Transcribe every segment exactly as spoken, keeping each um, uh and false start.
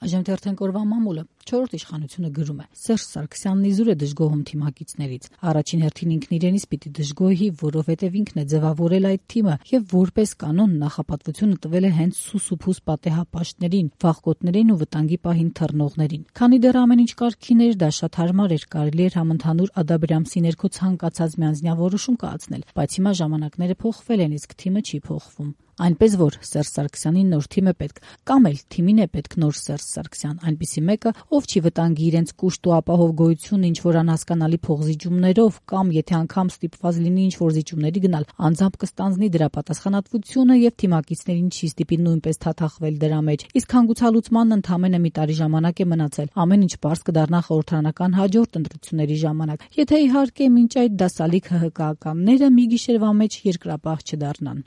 Այժմ թերթենք օրվա մամուլը։ Չորրորդ իշխանությունը գրում է. Սերժ Սարգսյանն իզուր է դժգոհում թիմակիցներից։ Առաջին հերթին ինքն իրենից պիտի դժգոհի, որովհետև ինքն է ձևավորել այդ թիմը եւ որպես կանոն նախապատվությունը տվել է հենց սուսուփուս պատեհապաշտներին, վախկոտներին ու վտանգի պահին թռնողներին։ Քանի դեռ ամեն ինչ կարգին էր, դա շատ հարմար էր, կարելի էր համընդհանուր Ադաբրամսի ներքո ցանկացած միանձնյա որոշում կայացնել, բայց հիմա ժամանակները փոխվել են, իսկ թիմը չի փոխվում։ Այնպես որ Սերժ Սարգսյանին նոր թիմ է պետք, կամ էլ թիմին է պետք նոր Սերժ Սարգսյան, այնպիսի մեկը, ով չի վտանգի իրենց կուշտ ու ապահով գոյությունը ինչ-որ անհասկանալի փոխզիջումներով, կամ եթե անգամ ստիպված լինի ինչ-որ զիջումների գնալ, անձամբ կստանձնի դրա պատասխանատվությունը եւ թիմակիցներին չի ստիպի նույնպես թաթախվել դրա մեջ։ Իսկ հանգուցալուծմանն ընդամենը մի տարի ժամանակ է մնացել, ամեն ինչ պարզ կդառնա խորհրդարանական հաջորդ ընտրությունների ժամանակ, եթե իհարկե մինչ այդ դասալիկ Հ Հ Կ-ականները մի գիշերվա մեջ երկրապահ չդառնան։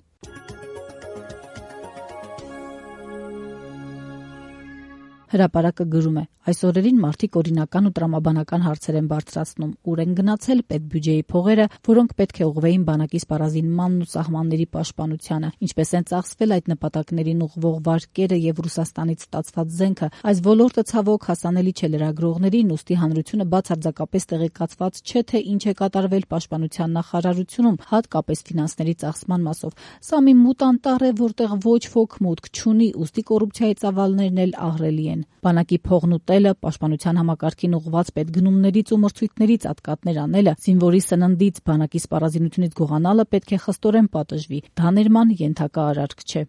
Հրապարակը գրում է. այս օրերին մարդիկ օրինական ու տրամաբանական հարցեր են բարձրացնում, ուր են գնացել պետբյուջեի փողերը, որոնք պետք է ուղղվեին բանակի սպառազինմանն ու սահմանների պաշտպանությանը, ինչպես են ծախսվել այդ նպատակներին ուղղվող վարկերը եւ Ռուսաստանից ստացված զենքը։ Այս ոլորտը ցավոք հասանելի չէ լրագրողներին, ուստի հանրությունը բացարձակապես տեղեկացված չէ, թե ինչ է կատարվել պաշտպանության նախարարությունում, հատկապես ֆինանսների ծախսման մասով։ Սա մի մութ անտառ է, որտեղ ոչ ոք մուտք չունի, ուստի կոռուպցիայի ծավալներն էլ ահռելի են։ Բանակի փողն ուտելը, պաշտպանության համակարգին ուղղված պետգնումներից ու մրցույթներից ատկատներ անելը, զինվորի սննդից, բանակի սպառազինությունից գողանալը պետք է խստորեն պատժվի։ Դա ներման ենթակա արարք չէ։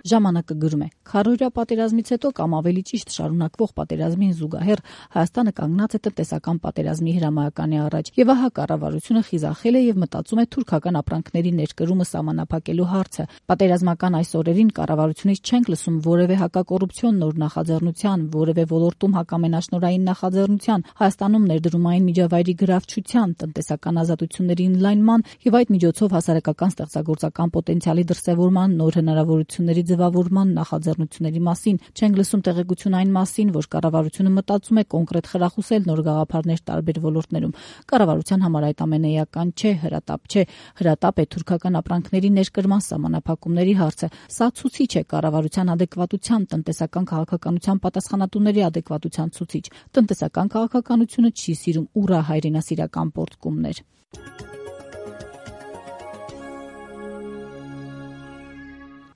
Ժամանակը գրում է. քառորյա պատերազմից հետո կամ ավելի ճիշտ շարունակվող պատերազմին զուգահեռ Հայաստանը կանգնած է տնտեսական պատերազմի հրամայականի առաջ, եւ ահա կառավարությունը խիզախել է եւ մտածում է թուրքական ապրանքների ներկրումը սահմանափակելու հարցը։ Պատերազմական այս օրերին կառավարությունից չենք լսում որևէ հակակոռուպցիոն նոր նախաձեռնության, որևէ ոլորտում հակամենաշնորհային նախաձեռնության, Հայաստանում ներդրումային միջավայրի գրավչության, տնտեսական ազատությունների ընդլայնման եւ այդ միջոցով հասարակական ստեղծագործական պոտենցիալի դրսեւորման նոր հնարավորությունների ձևավորման նախաձեռնությունների մասին, չենք լսում տեղեկություն այն մասին, որ կառավարությունը մտածում է կոնկրետ խրախուսել նոր գաղափարներ տարբեր ոլորտներում։ Կառավարության համար այդ ամենը էական չէ, հրատապ չէ, հրատապ է թուրքական ապրանքների ներկրման սահմանափակումների հարցը։ Սա ցուցիչ է կառավարության ադեկվատության, տնտեսական քաղաքականության պատասխանատուների ադեկվատության ցուցիչ։ Տնտեսական քաղաքականությունը չի սիրում ուռա հայրենասիրական պոռթկումներ։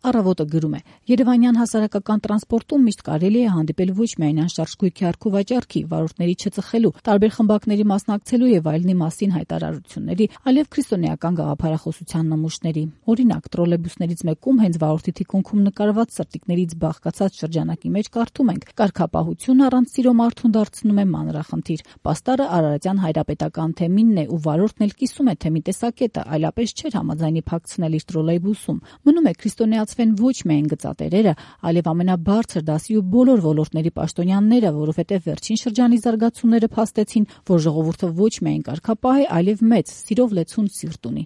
Առավոտը գրում է. Երևանյան հասարակական տրանսպորտում միշտ կարելի է հանդիպել ոչ միայն անշարժ գույքի առքու վաճառքի, վարորդների չծխելու, տարբեր խմբակների մասնակցելու եւ այլնի մասին հայտարարությունների, այլև քրիստոնեական գաղափարախոսության նմուշների։ Օրինակ, տրոլեյբուսներից մեկում հենց վարորդի թիկունքում նկարված սրտիկներից բաղկացած շրջանակի մեջ կարդում ենք. կարգապահություն առանց սիրո մարդուն դարձնում է մանրախնդիր։ Պաստառը Արարատյան հայրապետական թեմինն է ու վարորդն էլ կիսում է թեմի տեսակետը, այլապես չէր համաձայնի փակցնել իր տրոլեյբուսում։ Մնում է քրիստոնեացվեն ոչ միայն գծատերերը, այլև ամենաբարձր դասի ու բոլոր ոլորտների պաշտոնյաները, որովհետև վերջին շրջանի զարգացումները փաստեցին, որ ժողովուրդը ոչ միայն կարգապահ է, այլև մեծ, սիրով լեցուն սիրտ ունի։